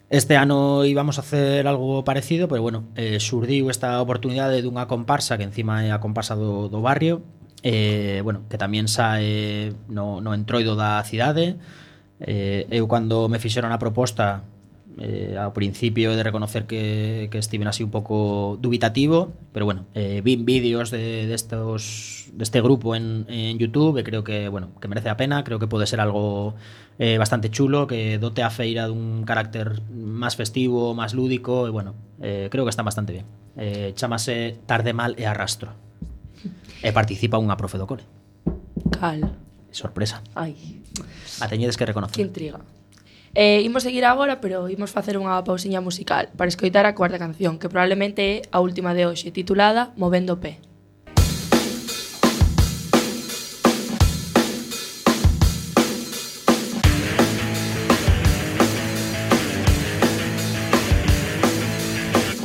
Este ano íbamos a hacer algo parecido, pero bueno, eh, surdiu esta oportunidade dunha comparsa que encima é a comparsa do, do barrio, eh, bueno, que tamén sae no, no entroido da cidade. Eh, eu cando me fixeron a proposta, eh, ao principio he de reconocer que, que estiven así un pouco dubitativo, pero bueno, eh, vin vídeos de, de estos, deste grupo en, en YouTube e creo que, bueno, que merece a pena, creo que pode ser algo eh, bastante chulo, que dote a feira dun carácter máis festivo, máis lúdico, e bueno, eh, creo que está bastante bien. Eh, chamase Tarde Mal e Arrastro. E participa unha profe do cole. Cal? Sorpresa. Ai. A teñedes que reconocer. Que intriga. Eh, imos seguir agora, pero imos facer unha pausiña musical para escoitar a cuarta canción, que probablemente é a última de hoxe, titulada Movendo o Pé.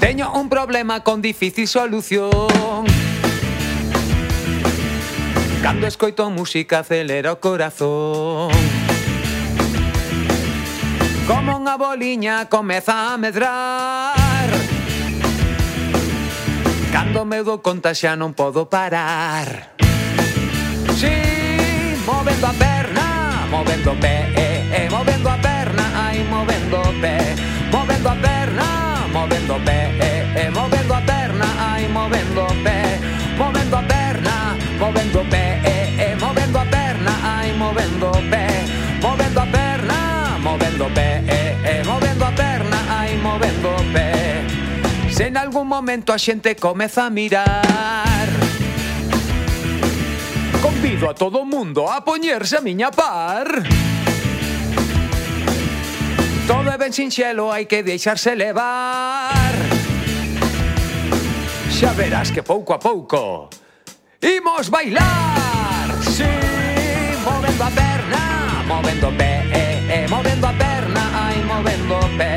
Teño un problema con difícil solución. Cando escoito música acelera o corazón. Como unha boliña comeza a medrar. Cando me dou conta xa non podo parar. Si, movendo a perna, movendo o pé, eh, eh, movendo a perna, ai, movendo o pé, movendo a perna, movendo o pé, eh, eh, movendo a perna, ai, movendo o pé, movendo a perna, movendo o pé, eh, eh, movendo a perna, ai, movendo o pé, movendo a perna, movendo o pé, eh, eh, movendo a perna, ai, movendo o pé. Se en algún momento a xente comeza a mirar, convido a todo o mundo a poñerse a miña par. Todo é ben sinxelo, hai que deixarse levar. Xa verás que pouco a pouco imos bailar. Si, movendo a perna, movendo o pé, eh, eh, movendo a perna, ai, movendo o pé,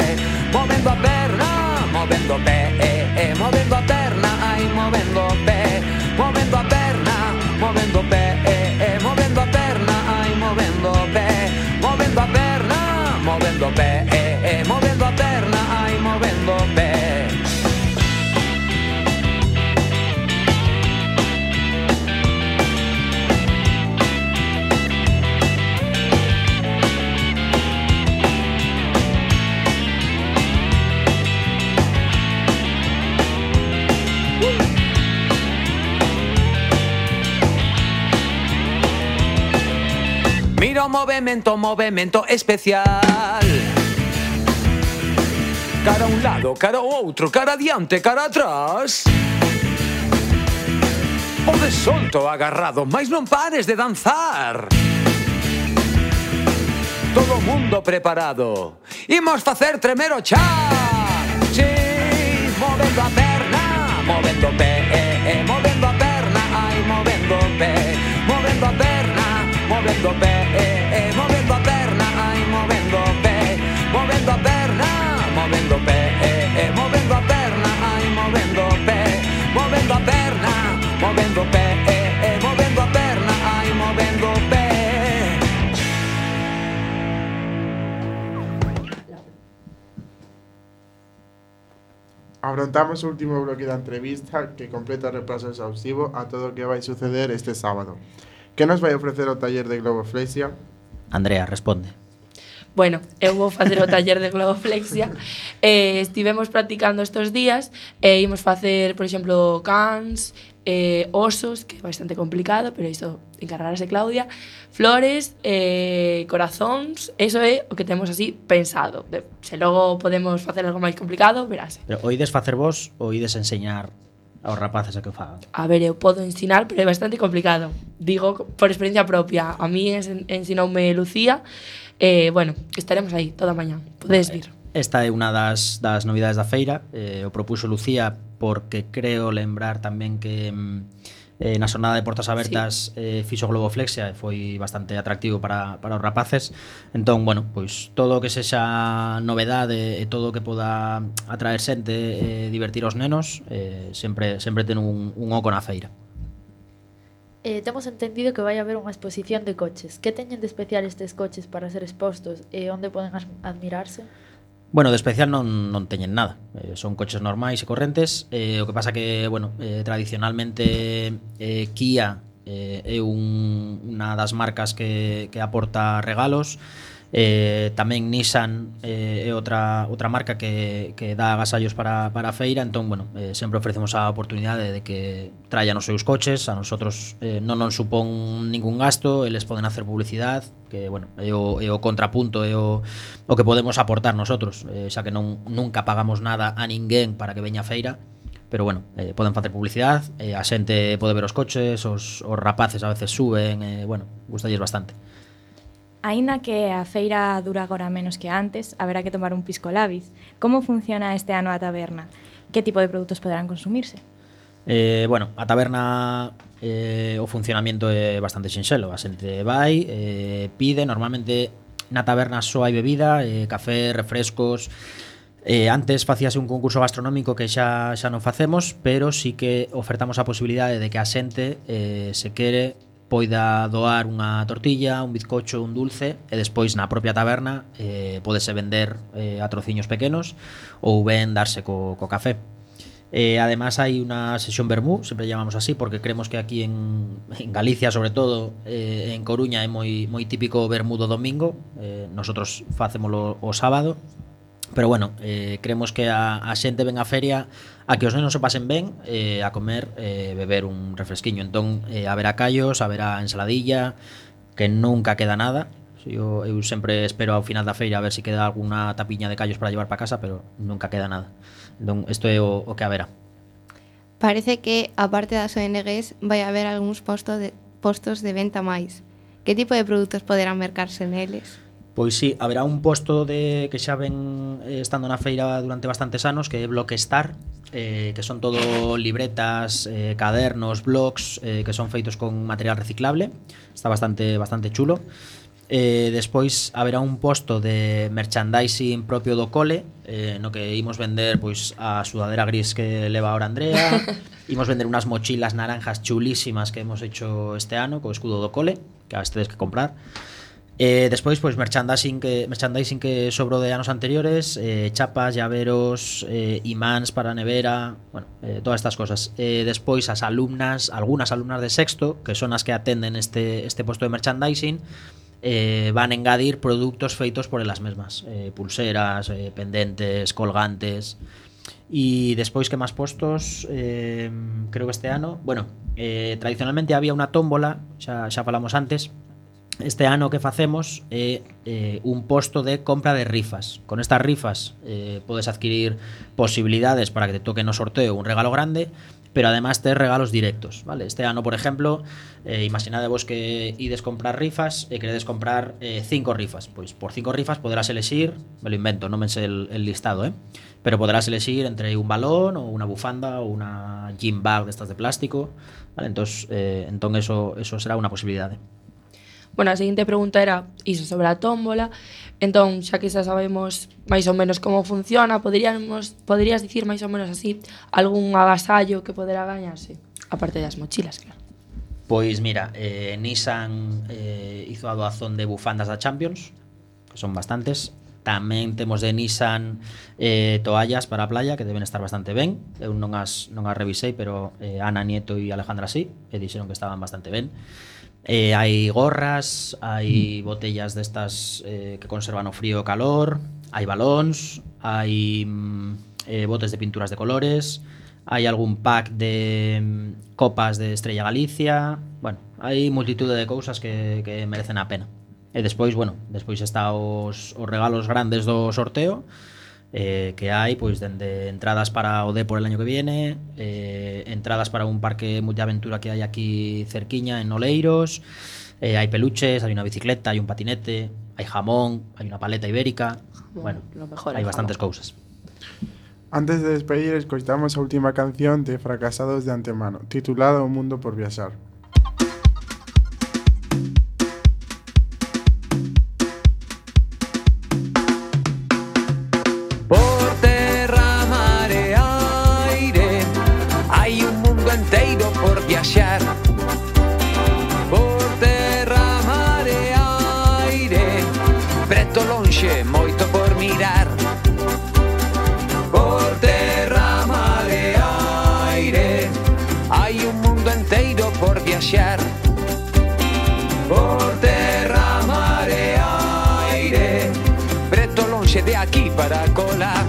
movendo a perna, movendo o pé, eh, eh, movendo a perna, ai, movendo o pé, movendo a perna, movendo o pé, eh, eh, movendo a perna, ai, movendo o pé, movendo a perna, movendo o pé, eh, eh, movendo a perna, ai, movendo o pé. Mira o movemento, movemento especial. Cara a un lado, cara ao outro, cara adiante, cara atrás. Podes solto, agarrado, mais non pares de danzar. Todo o mundo preparado. Imos facer tremer o chan. Si, movendo a perna, movendo o pé, eh, eh, movendo a perna, ai, movendo o pé, movendo a perna, movendo o pé, eh, eh, movendo a perna, ai, movendo o pé, movendo a perna, movendo o pé, eh, eh, movendo a perna, ai, movendo o pé, movendo a perna, movendo o pé, eh, eh, movendo a perna, ai, movendo o pé. Afrontamos o último bloque da entrevista que completa o repaso exhaustivo a todo o que vai suceder este sábado. Que nos vai ofrecer o taller de globoflexia? Andrea, responde. Bueno, eu vou facer o taller de globoflexia. eh, estivemos practicando estes días e eh, imos facer, por exemplo, cans, eh, osos, que é bastante complicado, pero iso encargarase Claudia, flores, eh, corazóns, eso é o que temos así pensado. De, se logo podemos facer algo máis complicado, verase. Pero oídes facer vos ou ides enseñar aos rapaces a que o fagan? A ver, eu podo ensinar, pero é bastante complicado. Digo por experiencia propia. A mí en, ensinoume Lucía. Eh, bueno, estaremos aí toda a mañá. Podedes vir. Esta é unha das, das novidades da feira. Eh, o propuso Lucía porque creo lembrar tamén que eh, na xornada de portas abertas sí. eh, fixo globoflexia e foi bastante atractivo para, para os rapaces. Entón, bueno, pois todo o que sexa novedade e todo o que poda atraer xente e eh, divertir os nenos eh, sempre, sempre ten un, un oco na feira. Eh, temos entendido que vai haber unha exposición de coches. Que teñen de especial estes coches para ser expostos e onde poden admirarse? Bueno, de especial non, non teñen nada. Eh, son coches normais e correntes. Eh, o que pasa que, bueno, eh, tradicionalmente eh, Kia eh, é un, unha das marcas que, que aporta regalos. Eh, tamén Nissan eh, é outra outra marca que, que dá agasallos para, para a feira. Entón, bueno, eh, sempre ofrecemos a oportunidade de que traian os seus coches. A nosotros eh, non nos supón ningún gasto, eles poden hacer publicidade, que, bueno, é o, é o contrapunto, é o, o que podemos aportar nosotros, eh, xa que non nunca pagamos nada a ninguén para que veña a feira. Pero bueno, eh, poden facer publicidade, eh, a xente pode ver os coches, os, os rapaces a veces suben, eh, bueno, gustalles bastante. Aínda que a feira dura agora menos que antes, haberá que tomar un pisco labis. Como funciona este ano a taberna? Que tipo de produtos poderán consumirse? Eh, bueno, a taberna eh, o funcionamento é bastante sinxelo. A xente vai, eh, pide, normalmente na taberna só hai bebida, eh, café, refrescos. Eh, antes facíase un concurso gastronómico que xa xa non facemos, pero sí que ofertamos a posibilidade de que a xente eh, se quere poida doar unha tortilla, un bizcocho, un dulce e despois na propia taberna eh, podese vender eh, a trociños pequenos ou ben darse co, co café. Eh, además hai unha sesión vermú, sempre llamamos así porque creemos que aquí en, en Galicia sobre todo, eh, en Coruña é moi, moi típico vermú do domingo, eh, nosotros facémolo o sábado. Pero bueno, eh, creemos que a, a xente ven a feria a que os nenos se pasen ben, eh, a comer, eh, beber un refresquiño. Entón, eh, haberá callos, haberá ensaladilla, que nunca queda nada. Eu, eu sempre espero ao final da feira a ver se queda alguna tapiña de callos para llevar para casa, pero nunca queda nada. Entón, isto é o, o que haberá. Parece que, aparte das O N Gs, vai haber algúns postos de, postos de venta máis. Que tipo de produtos poderán mercarse neles? Pois sí, haberá un posto de que xa ven eh, estando na feira durante bastantes anos, que é Blockstar, eh, que son todo libretas, eh, cadernos, blogs, eh, que son feitos con material reciclable. Está bastante bastante chulo. Eh, despois haberá un posto de merchandising propio do cole, eh, no que imos vender pois a sudadera gris que leva ahora Andrea. Imos vender unas mochilas naranjas chulísimas que hemos hecho este ano co escudo do cole, que as tedes que comprar. Eh, despois, pois, merchandising que, merchandising que sobrou de anos anteriores, eh, chapas, llaveros, eh, imáns para a nevera, bueno, eh, todas estas cosas. Eh, despois, as alumnas, algunhas alumnas de sexto, que son as que atenden este, este posto de merchandising, eh, van a engadir produtos feitos por elas mesmas, eh, pulseras, eh, pendentes, colgantes. E despois, que máis postos, eh, creo que este ano, bueno, eh, tradicionalmente había unha tómbola, xa, xa falamos antes. Este ano que facemos é eh, un posto de compra de rifas. Con estas rifas eh, podes adquirir posibilidades para que te toque no sorteo un regalo grande, pero además tes regalos directos, vale? Este ano, por exemplo, eh, imaginadevos que ides comprar rifas e queredes comprar eh, cinco rifas. Pois por cinco rifas poderás elexir, me lo invento, non me sé el, el listado, eh? Pero poderás elexir entre un balón ou unha bufanda ou unha gym bag destas de plástico, vale? Entón, eh, entón eso, eso será unha posibilidade. Bueno, a seguinte pregunta era iso sobre a tómbola. Entón, xa que xa sabemos máis ou menos como funciona, poderíamos, poderías dicir máis ou menos así algún agasallo que poderá gañarse, aparte das mochilas, claro. Pois mira, eh, Nissan eh, hizo a doazón de bufandas da Champions, que son bastantes. Tamén temos de Nissan eh, toallas para a playa que deben estar bastante ben. Eu non as, non as revisei, pero eh, Ana Nieto e Alejandra sí, e dixeron que estaban bastante ben. Eh, hai gorras, hai botellas destas eh, que conservan o frío e o calor, hai balóns, hai mm, eh, botes de pinturas de colores, hai algún pack de mm, copas de Estrella Galicia. Bueno, hai multitude de cousas que, que merecen a pena. E despois, bueno, despois está os, os regalos grandes do sorteo, eh, que hai, pois, dende entradas para o Depor el año que viene, eh, entradas para un parque multiaventura que hai aquí cerquiña en Oleiros, eh, hai peluches, hai unha bicicleta, hai un patinete, hai jamón, hai unha paleta ibérica, bueno, Lo mejor, hai el bastantes jamón. cousas. Antes de despedir, escoitamos a última canción de Fracasados de Antemano, titulada O mundo por viaxar. Por terra, mar e aire hai un mundo enteiro por viaxar. Por terra, mar e aire, preto, lonxe, moito por mirar. Por terra, mar e aire hai un mundo enteiro por viaxar. Por terra, mar e aire, preto, lonxe, de aquí para cola.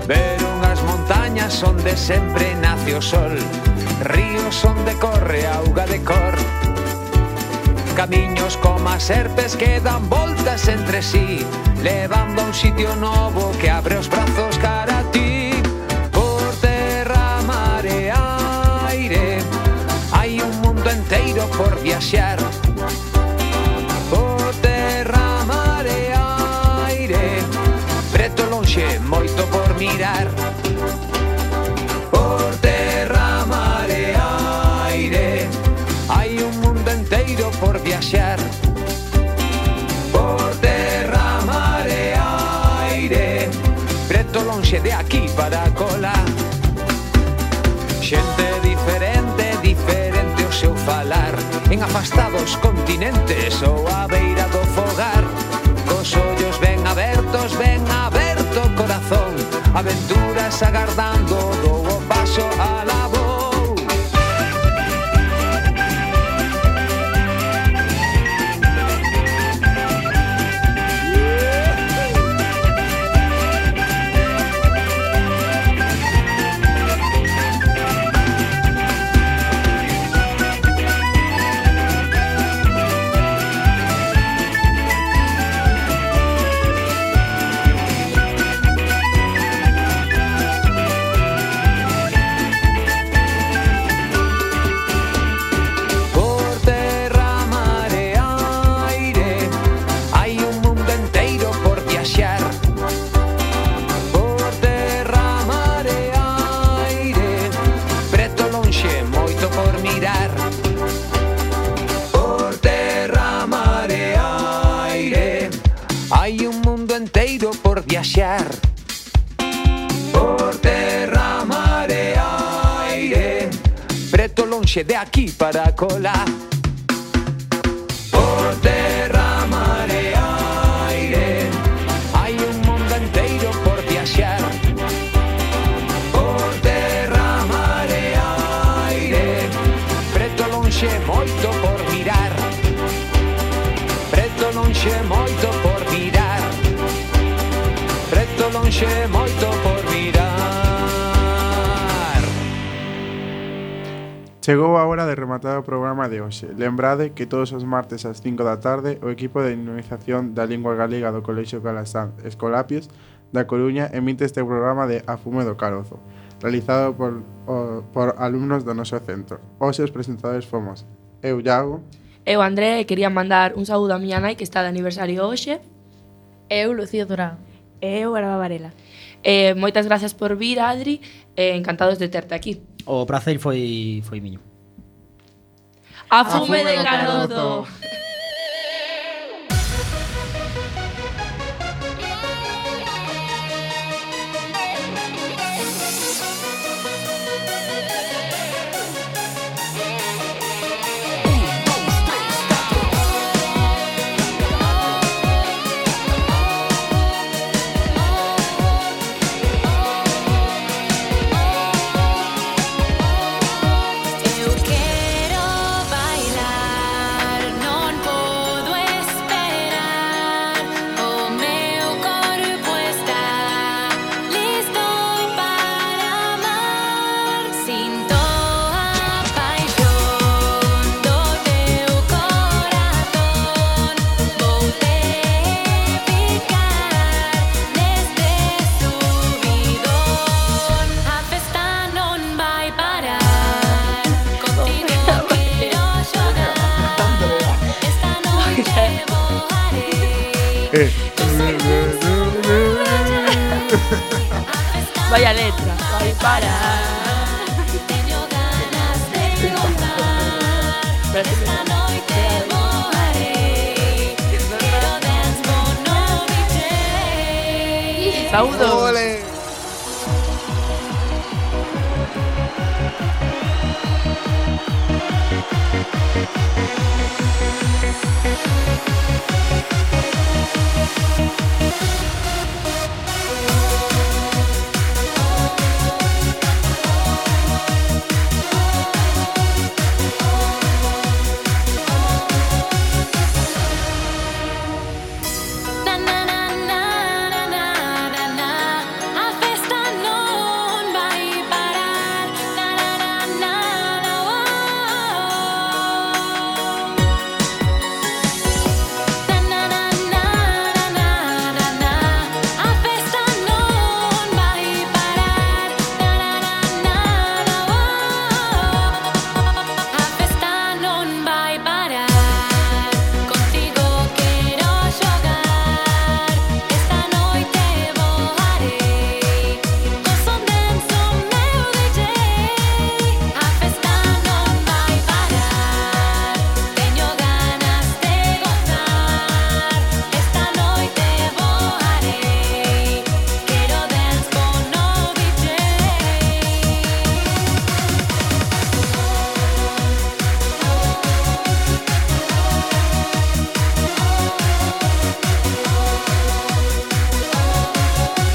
Ver unhas montañas onde sempre nace o sol, ríos onde corre auga de cor, camiños como as serpes que dan voltas entre sí, levando a un sitio novo que abre os brazos cara a ti. Por terra, mar e aire hai un mundo enteiro por viaxar. Por terra, mar e aire, preto, lonxe, moito por mirar. Por terra, mar e aire hai un mundo enteiro por viaxar. Por terra, mar e aire, preto, lonxe, de aquí para cola. Xente diferente, diferente o seu falar, en afastados continentes ou a beira do fogar, cos ollos ben abertos, ben aberto o corazón, aventuras agardando, dou o paso a la voz. Viaxar por terra, mar e aire, preto, lonxe, de aquí para cola. Por terra, mar e aire hai un mundo enteiro por viaxar. Por terra, mar e aire, preto, lonxe, moito por mirar. Preto, lonxe, moito por mirar. Preto, lonxe, moito por mirar. Chegou a hora de rematar o programa de hoxe. Lembrade que todos os martes ás cinco da tarde o equipo de dinamización da lingua galega do Colexio Calasanz Escolapios da Coruña emite este programa de A Fume do Carozo, realizado por, o, por alumnos do noso centro. Hoxe os presentadores fomos eu, Iago. Eu, André, quería mandar un saúdo a miña nai que está de aniversario hoxe. Eu, Lucía Durán. Eu, Araba Varela. Eh, moitas gracias por vir, Adri, eh, encantados de terte aquí. O prazer foi foi miño. A fume de Carozo. Vaya letra, vai parar. Esta noite voarei, quero dance con no D J. Saúdos.